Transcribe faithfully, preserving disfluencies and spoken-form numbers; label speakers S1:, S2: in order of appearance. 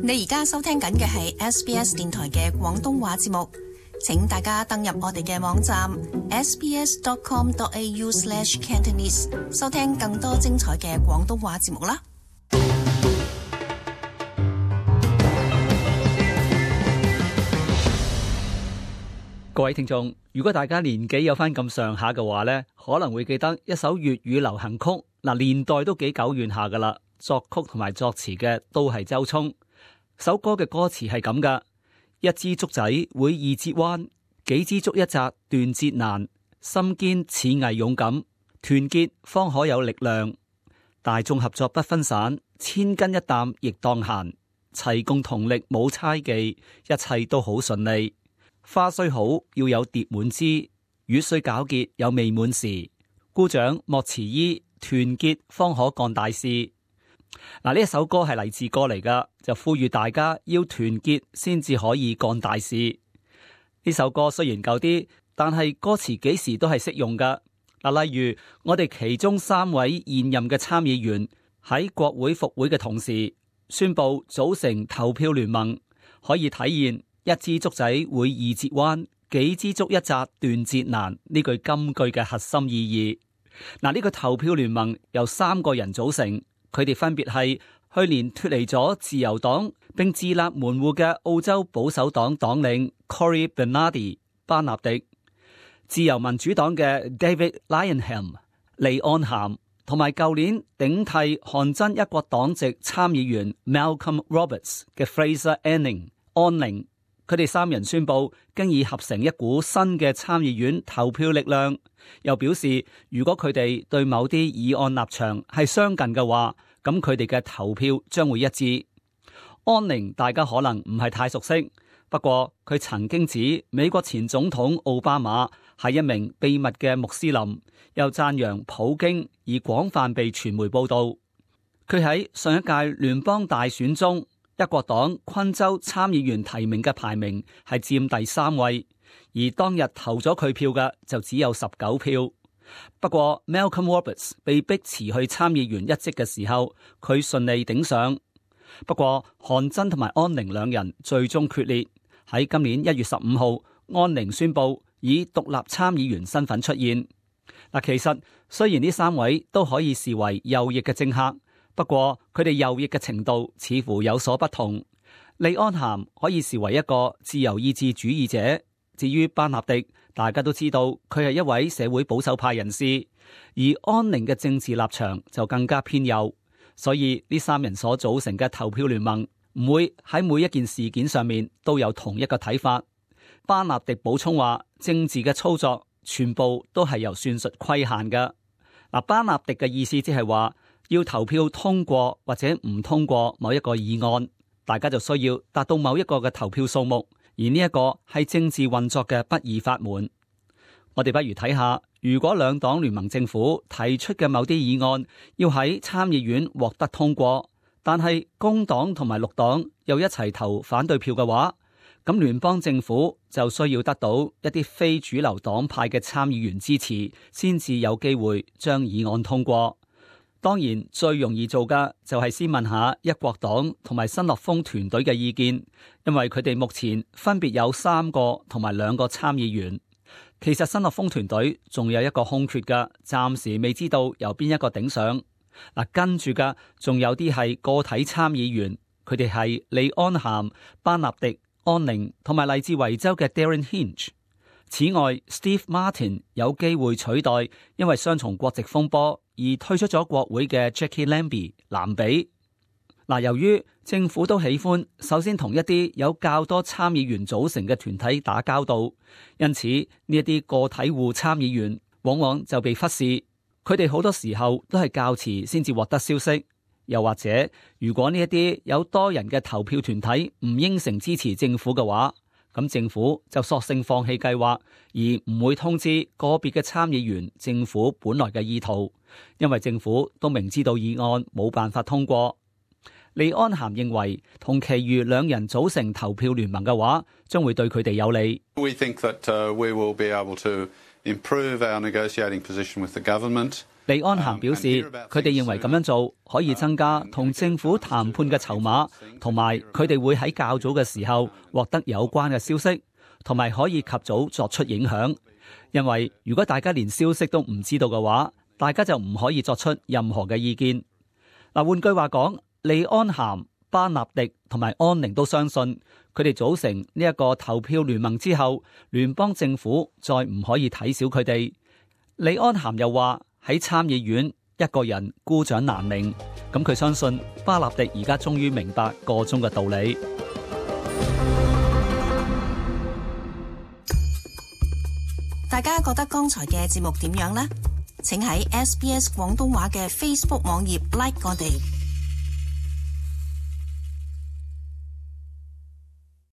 S1: 你而家收聽緊嘅係 S B S 電台嘅廣東話節目，請大家登入我哋嘅網站 s b s dot com dot a u slash cantonese 收聽更多精彩嘅廣東話節目啦。
S2: 各位聽眾，如果大家年紀有翻咁上下嘅話呢，可能會記得一首粵語流行曲，嗱，年代都幾久遠下噶啦，作曲同埋作詞嘅都係周聰。首歌嘅歌詞係咁噶：一支竹仔會易折彎，幾支竹一紮斷節難。心堅似毅勇敢，團結方可有力量。大眾合作不分散，千斤一擔亦當閒。齊共同力冇猜忌，一切都好順利。花雖好要有蝶滿枝，雨雖皎潔有未滿時。姑丈莫遲疑，團結方可幹大事。嗱，呢一首歌係勵志歌嚟噶，就呼籲大家要團結先至可以幹大事。呢首歌雖然舊啲，但係歌詞幾時都係適用噶。嗱，例如我哋其中三位現任嘅參議員喺國會復會嘅同時，宣布組成投票聯盟，可以體現一支竹仔會易折彎，幾支竹一紮斷節難呢句金句嘅核心意義。嗱，呢個投票聯盟由三個人組成。佢哋分別係去年脫離咗自由黨並自立門戶嘅澳洲保守黨黨領 Cory Bernardi 班納迪、自由民主黨嘅 David Leyonhjelm 利安咸，同埋舊年頂替韓真一國黨籍參議員 Malcolm Roberts 嘅 Fraser Anning 安寧。佢哋三人宣布經已合成一股新嘅參議院投票力量，又表示如果佢哋對某啲議案立場係相近嘅話，咁佢哋嘅投票將會一致。安寧大家可能唔係太熟悉，不過佢曾經指美國前總統奧巴馬係一名秘密嘅穆斯林，又讚揚普京而廣泛被傳媒報道。佢喺上一屆聯邦大選中，一國黨昆州參議員提名嘅排名係佔第三位，而當日投咗佢票嘅就只有十九票。不過 Malcolm Roberts 被逼辭去參議員一職嘅時候，佢順利頂上。不過韓真同埋安寧兩人最終決裂，喺今年一月十五號，安寧宣布以獨立參議員身份出現。嗱，其實雖然呢三位都可以視為右翼嘅政客，不過佢哋右翼嘅程度似乎有所不同。利安咸可以視為一個自由意志主義者，至於班納迪，大家都知道佢係一位社會保守派人士，而安寧嘅政治立場就更加偏右，所以呢三人所組成嘅投票聯盟唔會喺每一件事件上面都有同一個睇法。班納迪補充話，政治嘅操作全部都係由算術規限嘅。嗱，班納迪嘅意思即係話，要投票通過或者唔通過某一個議案，大家就需要達到某一個嘅投票數目，而呢一個係政治運作嘅不二法門。我哋不如睇下，如果兩黨聯盟政府提出嘅某啲議案要喺參議院獲得通過，但係工黨同埋綠黨又一齊投反對票嘅話，咁聯邦政府就需要得到一啲非主流黨派嘅參議員支持，先至有機會將議案通過。當然最容易做嘅就係先問下一國黨同埋新樂豐團隊嘅意見，因為佢哋目前分別有三個同埋兩個參議員。其實新樂豐團隊仲有一個空缺嘅，暫時未知道由邊一個頂上。嗱，跟住嘅仲有啲係個體參議員，佢哋係利安咸、班納迪、安寧同埋嚟自維州嘅 Darren Hinch。此外 Steve Martin 有機會取代因為雙重國籍風波而退出咗國會嘅 Jackie Lambie 藍比。嗱，由於政府都喜歡首先同一啲有較多參議員組成嘅團體打交道，因此呢一啲個體戶參議員往往就被忽視，佢哋好多時候都係較遲先至獲得消息。又或者如果呢一啲有多人嘅投票團體唔應承支持政府嘅話，咁政府就索性放棄計劃，而唔會通知個別嘅參議員政府本來嘅意圖，因為政府都明知道議案冇辦法通過。利安咸認為同其餘兩人組成投票聯盟嘅話，將會對佢哋有利。
S3: We think that, uh, we will be able to improve our negotiating position with the government.
S2: 李安涵表示，佢哋認為咁樣做可以增加同政府談判嘅籌碼，同埋佢哋會喺較早嘅時候獲得有關嘅消息，同埋可以及早作出影響。因為如果大家連消息都唔知道嘅話，大家就唔可以作出任何嘅意見。嗱，換句話講，李安涵、巴納迪同埋安寧都相信，佢哋組成呢一個投票聯盟之後，聯邦政府再唔可以睇小佢哋。李安涵又話喺參議院一個人孤掌難鳴，咁佢相信巴納迪而家終於明白個中嘅道理。
S1: 大家覺得剛才嘅節目點樣呢？請喺 S B S 廣東話嘅 Facebook 網頁 like 我哋。